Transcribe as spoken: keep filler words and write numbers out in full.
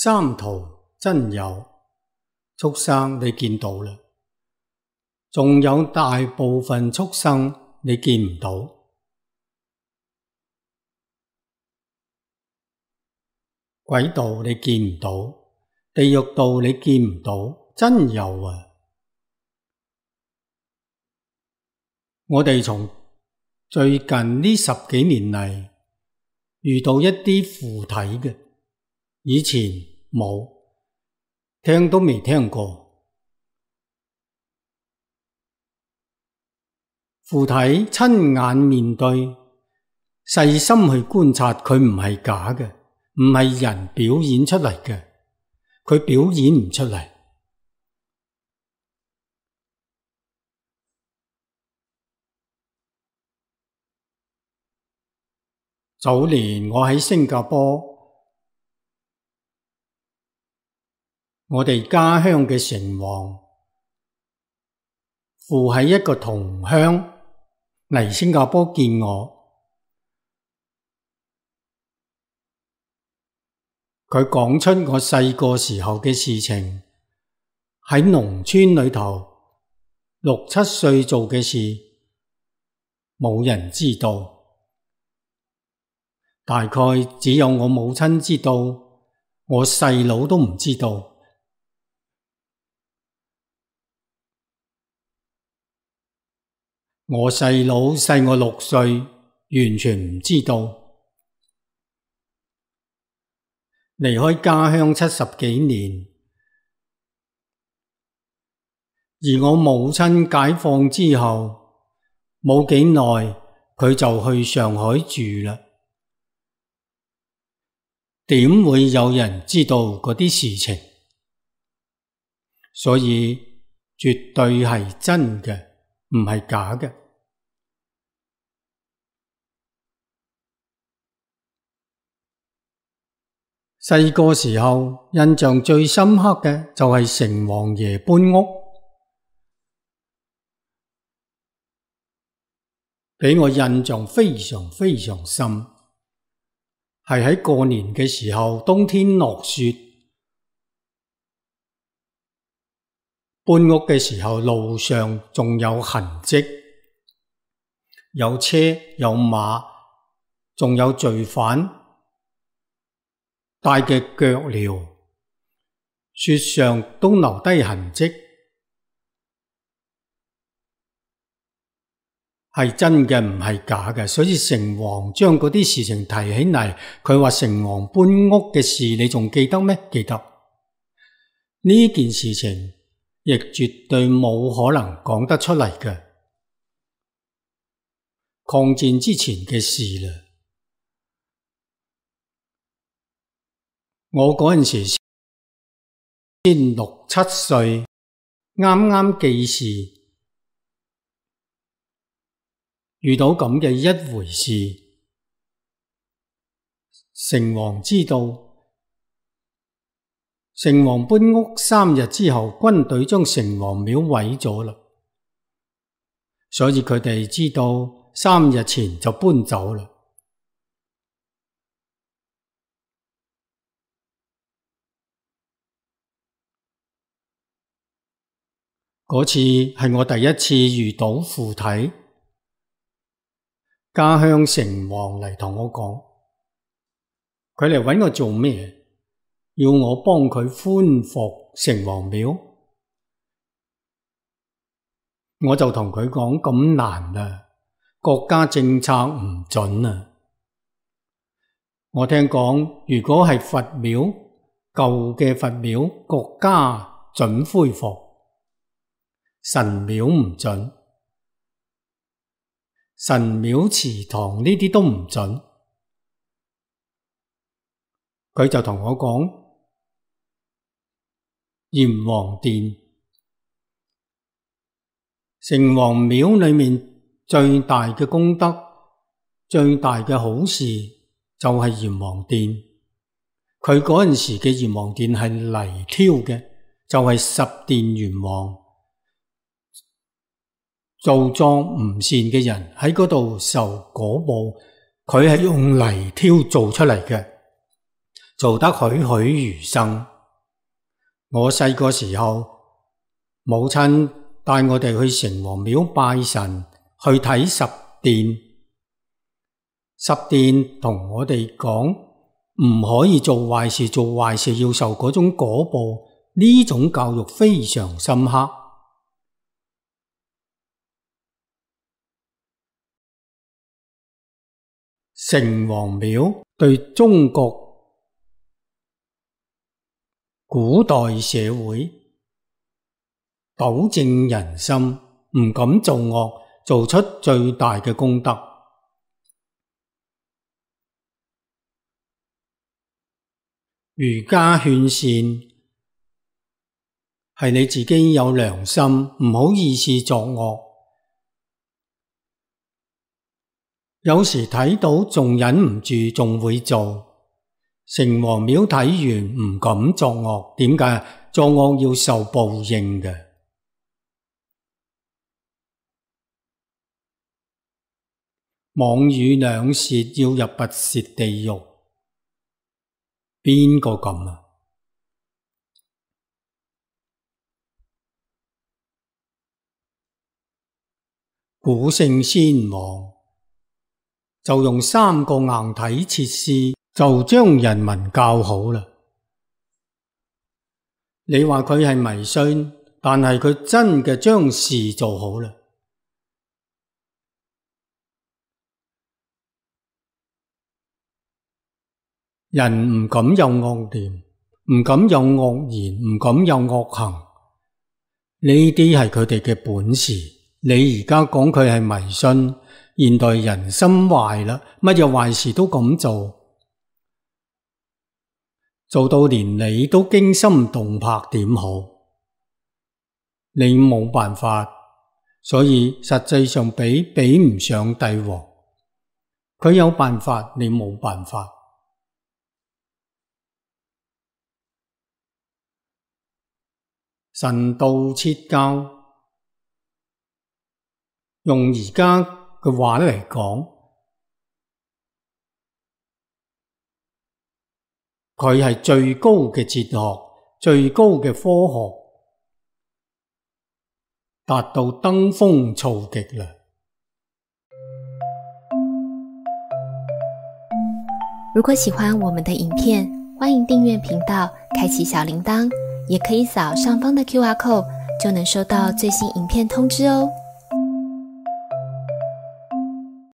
三途真有，畜生你見到啦，仲有大部分畜生你見唔到。鬼道你見唔到，地獄道你見唔到，真有啊！我哋從最近呢十幾年嚟遇到一啲附體嘅，以前冇，聽都未聽過。附體親眼面對，細心去觀察，佢唔係假嘅，唔係人表演出嚟嘅，佢表演唔出嚟。早年我喺新加坡，我哋家鄉嘅城隍附喺一個同鄉嚟新加坡見我，佢講出我細個時候嘅事情，喺農村裏頭六七歲做嘅事，冇人知道。大概只有我母親知道，我細佬都唔知道。我細佬細我六歲，完全唔知道。離開家鄉七十幾年，而我母親解放之後，冇幾耐佢就去上海住啦。點會有人知道嗰啲事情？所以絕對係真嘅，唔係假嘅。細個時候印象最深刻嘅就係城隍爺搬屋，俾我印象非常非常深。係喺過年嘅時候，冬天落雪，搬屋嘅時候路上仲有痕跡，有車有馬，仲有罪犯帶嘅腳鐐，雪上都留低痕跡，係真嘅唔係假嘅。所以城隍將嗰啲事情提起嚟，佢話城隍搬屋嘅事你仲記得咩？記得。呢件事情亦絕對冇可能講得出嚟嘅，抗戰之前嘅事啦。我嗰陣時先六七歲，啱啱記事，遇到咁嘅一回事，城隍知道，城隍搬屋三日之後，軍隊將城隍廟毀咗啦，所以佢哋知道三日前就搬走啦。嗰次係我第一次遇到附體，家鄉城隍嚟同我講，佢嚟搵我做咩？要我幫佢寬復城隍廟。我就同佢講，咁難啊，國家政策唔准啊。我聽講，如果係佛廟，舊嘅佛廟，國家准恢復，神廟唔准，神廟祠堂呢啲都唔准。佢就同我講，閻王殿，城隍廟裏面最大嘅功德，最大嘅好事就係閻王殿。佢嗰陣時嘅閻王殿係泥挑嘅，就係十殿閻王做作唔善嘅人喺嗰度受果報，佢係用泥挑做出嚟嘅。做得栩栩如生。我細個時候，母親帶我哋去城隍廟拜神，去睇十殿。十殿同我哋講唔可以做壞事，做壞事要受嗰種果報，呢種教育非常深刻。城隍廟對中國古代社會糾正人心，唔敢做惡，做出最大嘅功德。儒家勸善係你自己有良心，唔好意思作惡。有時睇到仲忍唔住，仲會做。城隍廟睇完唔敢作惡，點解？作惡要受報應嘅。妄語兩舌要入拔舌地獄，邊個咁啊？古聖先王就用三個硬體設施就將人民教好啦。你話佢係迷信，但係佢真嘅將事做好啦。人唔敢有惡念，唔敢有惡言，唔敢有惡行，呢啲係佢哋嘅本事。你而家講佢係迷信，現代人心壞啦，乜嘢壞事都咁做，做到連你都驚心動魄，點好？你冇辦法，所以實際上比比唔上帝王。佢有辦法，你冇辦法。神道切教，用而家嘅話嚟講，佢係最高嘅哲學，最高嘅科學，達到登峰造極啦。如果喜歡我們的影片，歡迎訂閱頻道，開啟小鈴鐺，也可以掃上方的 Q R code，就能收到最新影片通知哦。